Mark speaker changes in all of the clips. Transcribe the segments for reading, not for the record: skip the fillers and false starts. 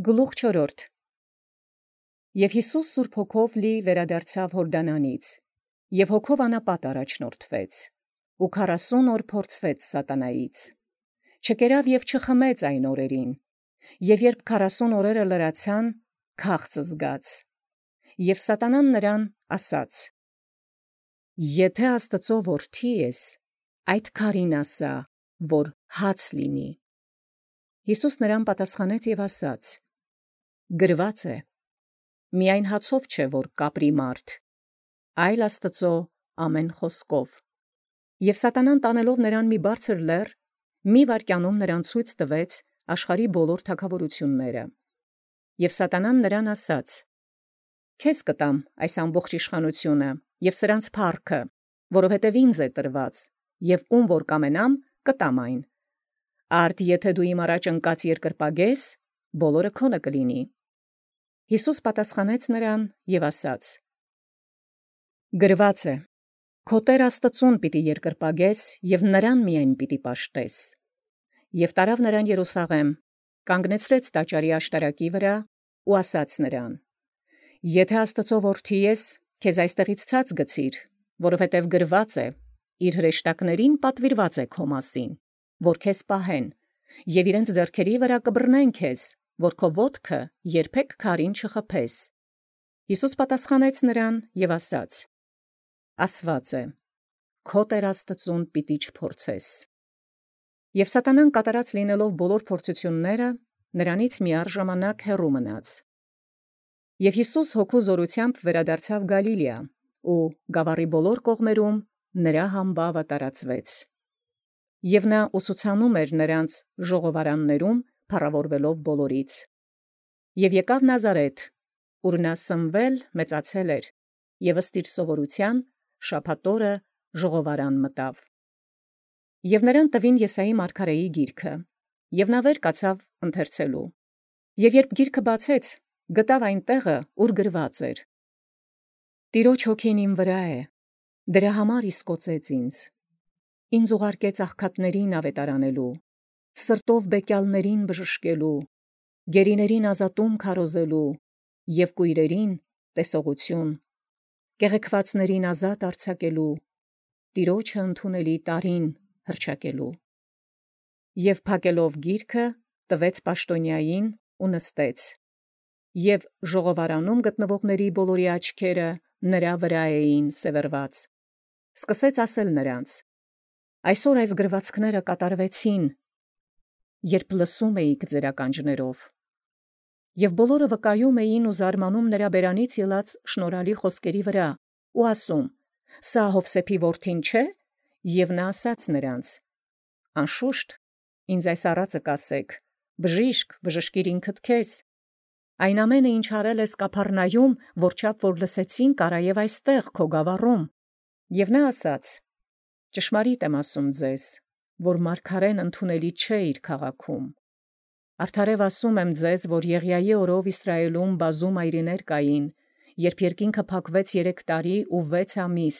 Speaker 1: Գլուխ 4 Եւ Յիսուս սուրբ հոգով լի վերադարձավ Յորդանանից, եւ հոգով անապատ առաջնորդվեց, ու 40 օր փորձվեց սատանայից. չկերավ եւ չխմեց այն օրերին, եւ երբ 40 օրերը լրացան, քաղց զգաց, եւ սատանան նրան ասաց. «Եթե Աստծո որդի ես, այդ քարին ասա, որ հաց լինի»։ Յիսուս նրան պատասխանեց եւ ասաց. գրված է. միայն հացով չէ, որ կապրի մարդ, այլ Աստծո ամեն խոսքով։ Եւ սատանան տանելով նրան մի բարձր լեռ, մի վայրկյանում նրան ցույց տվեց աշխարհի բոլոր թագավորությունները։ Եւ սատանան նրան ասաց. քեզ կտամ այս ամբողջ իշխանությունը եւ սրանց փառքը, որովհետեւ ինձ է տրված, եւ ում որ կամենամ, կտամ այն։ Արդ եթե դու իմ առաջ ընկած երկրպագես, բոլորը քոնը կլինի։ Յիսուս պատասխանեց նրան եւ ասաց. գրված է. քո Տեր Աստծուն պիտի երկրպագես եւ նրան միայն պիտի պաշտես։ Եւ տարավ նրան Երուսաղեմ, կանգնեցրեց տաճարի աշտարակի վրա ու ասաց նրան. եթե Աստծո որդի ես, քեզ այստեղից ցած գցիր, որովհետև գրված է. իր հրեշտակներին պատվիրված է քո մասին, որ քեզ պահեն, եւ իրենց ձեռքերի վրա կբռնեն քեզ, որ քո ոտքը երբեք քարին չխփես։ Յիսուս պատասխանեց նրան եւ ասաց. ասված է. քո Տեր Աստծուն պիտի չփորձես։ Եւ սատանան կատարած լինելով բոլոր փորձությունները, նրանից միառժամանակ հեռու մնաց։ Եւ Յիսուս հոգու զորությամբ վերադարձավ Գալիլեա, ու գավառի բոլոր կողմերում նրա համբավը տարածվեց։ Եւ նա ուսուցանում էր նրանց ժողովարաններում, փառավորվելով բոլորից։ Եւ եկավ Նազարեթ, ուր նա սնվել մեծացել էր, եւ ըստ իր սովորութեան շաբաթ օրը ժողովարան մտավ։ Եւ նրան տվին Եսայի մարգարեի գիրքը, եւ նա վեր կացավ ընթերցելու։ Եւ երբ գիրքը բացեց, գտավ այն տեղը, ուր գրված էր. «Տիրոջ հոգին իմ վրա է, դրա համար իսկոծեց ինձ։ Ինձ ուղարկեց աղքատներին ավետարանելու, սրտով բեկյալներին բժշկելու, գերիներին ազատում քարոզելու եւ կույրերին տեսողություն, կեղեքվածներին ազատ արձակելու, Տիրոջը ընդունելի տարին հռչակելու»։ Եւ փակելով գիրքը, տվեց պաշտոնյային ու նստեց։ Եւ ժողովարանում գտնվողների բոլորի աչքերը նրա վրա էին սևեռված։ Սկսեց ասել նրանց. «Այսօր այս գրվածքները կատարվեցին, երբ լսում էիք ձեր ականջներով»։ Եւ բոլորը վկայում էին ու զարմանում նրա բերանից ելած շնորհալի խոսքերի վրա ու ասում. «Սա Յովսեփի որդին չէ»։ Եւ նա ասաց նրանց. «Անշուշտ, ինձ այս առածը կասեք, բժիշկ, բժշկիր ինքդ քեզ։ Այն ամենը, ինչ արել ես Կափառնայում, որչափ որ լսեցին, կարա եւ այստեղ քո գավառում»։ Եւ նա ասաց. «Ճշմարիտ եմ ասում ձեզ, որ մարգարեն ընդունելի չէ իր քաղաքում։ Արդարև ասում եմ ձեզ, որ Եղիայի օրով Իսրայելում բազում այրիներ կային, երբ երկինքը փակվեց 3 տարի ու 6 ամիս,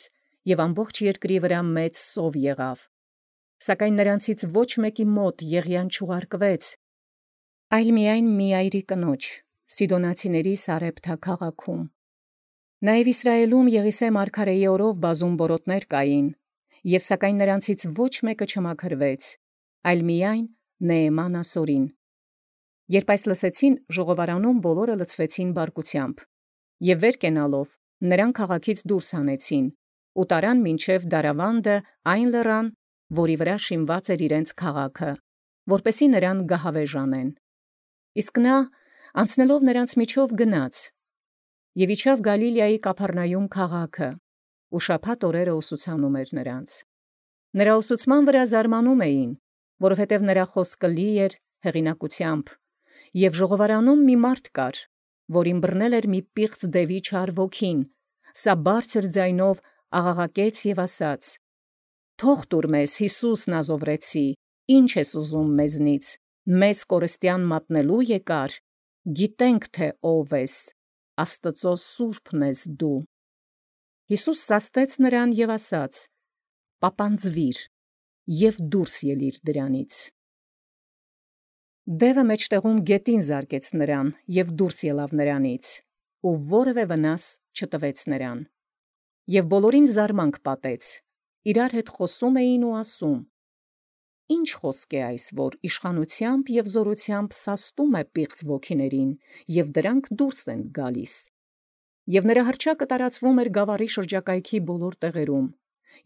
Speaker 1: եւ ամբողջ երկրի վրա մեծ սով եղավ։ Սակայն նրանցից ոչ մեկի մոտ Եղիան չուղարկվեց, այլ միայն մի այրի կնոջ, Սիդոնացիների Սարեպթա քաղաքում։ Նաեւ Իսրայելում Եղիսե մարգարեի օրով բազում բորոտներ կային, եւ սակայն նրանցից ոչ մեկը չմաքրվեց, այլ միայն Նեեման ասորին։ Երբ այս լսեցին, ժողովարանում բոլորը լցվեցին բարկությամբ, եւ վեր կենալով նրան քաղաքից դուրս հանեցին, ու տարան մինչև Դարավանդը այն լեռան, որի վրա շինված էր իրենց քաղաքը, որպեսզի նրան գահավեժ անեն։ Իսկ նա անցնելով նրանց միջով գնաց եւ իջավ Գալիլեայի Կափառնայում քաղաքը, ու շաբաթ օրերը ուսուցանում էր նրանց։ Նրա ուսուցման վրա զարմանում էին, որովհետև նրա խոսքը լի էր հեղինակությամբ, եւ ժողովարանում մի մարդ կար, որին բռնել էր մի պիղծ դևի չար ոգին, սա բարձր ձայնով աղաղակեց եւ ասաց. «Թող տուր մեզ, Յիսուս Նազովրեցի, ի՞նչ ես ուզում մեզնից, մեզ կորստյան մատնելու եկար, գիտենք թե ով ես, Աստծո սուրբն ես դու»։ Յիսուս սաստեց նրան եւ ասաց. «Պապանձվիր եւ դուրս ելիր դրանից»։ Դևը մեջտեղում գետին զարկեց նրան և դուրս ելավ նրանից, ու որևէ վնաս չտվեց նրան։ Եվ բոլորին զարմանք պատեց, իրար հետ խոսում էին ու ասում. «Ինչ խոսք է այս, որ իշխանությամբ և զորությամբ սաստում է պիղծ ոգիներին, և դրանք դուրս են գալիս»։ Եվ նրա հռչակը տարածվում էր գավառի շրջակայքի բոլոր տեղերում,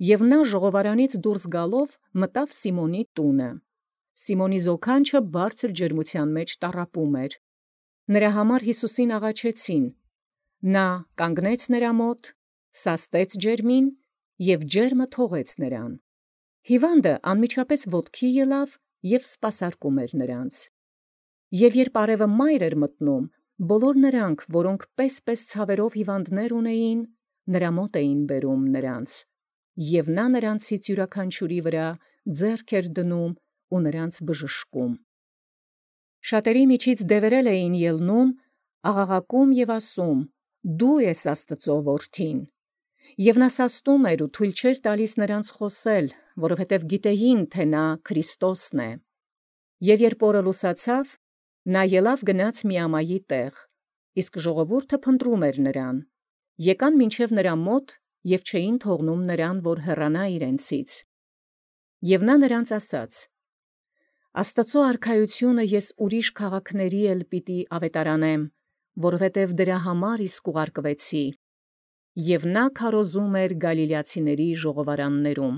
Speaker 1: և նա ժողովարանից դուրս գալով մտավ Սիմոնի տունը։ Սիմոնի զոքանչը բարձր ջերմության մեջ տառապում էր։ Նրա համար Յիսուսին աղաչեցին։ Նա կանգնեց նրա մոտ, սաստեց ջերմին և ջերմը թողեց նրան։ Հիվանդը անմիջապես ոտքի ելավ և սպասարկում էր նրանց։ Եվ երբ արևը մայր էր մտնում, բոլոր նրանք, որոնք պես ցավերով հիվանդներ ունեին, նրա մոտ էին բերում նրանց, և նա նրանցից յուրաքանչյուրի վրա ձեռք էր դնում ու նրանց բժշկում։ Շատերի միջից դևերել էին ելնում, աղաղակում և ասում. «Դու ես Աստծո որդին»։ Եվ նա սաստում էր ու թույլ չէր տալիս նրանց խոսել, որովհետև գիտեին, թե նա Քրիստոսն է։ Եվ երբ օրը լուսացավ, նա ելավ գնաց Միամայի տեղ, իսկ ժողովուրդը փնտրում էր նրան, եկան մինչև նրա մոտ և չէին թողնում նրան, որ հեռանա իրենցից։ Եվ նա նրանց ասաց. «Աստծո արքայությունը ես ուրիշ քաղաքների էլ պիտի ավետարանեմ, որովհետև դրա համար իսկ ուղարկվեցի»։ Եվ նա քարոզում էր գալիլեացիների ժողովարաններում։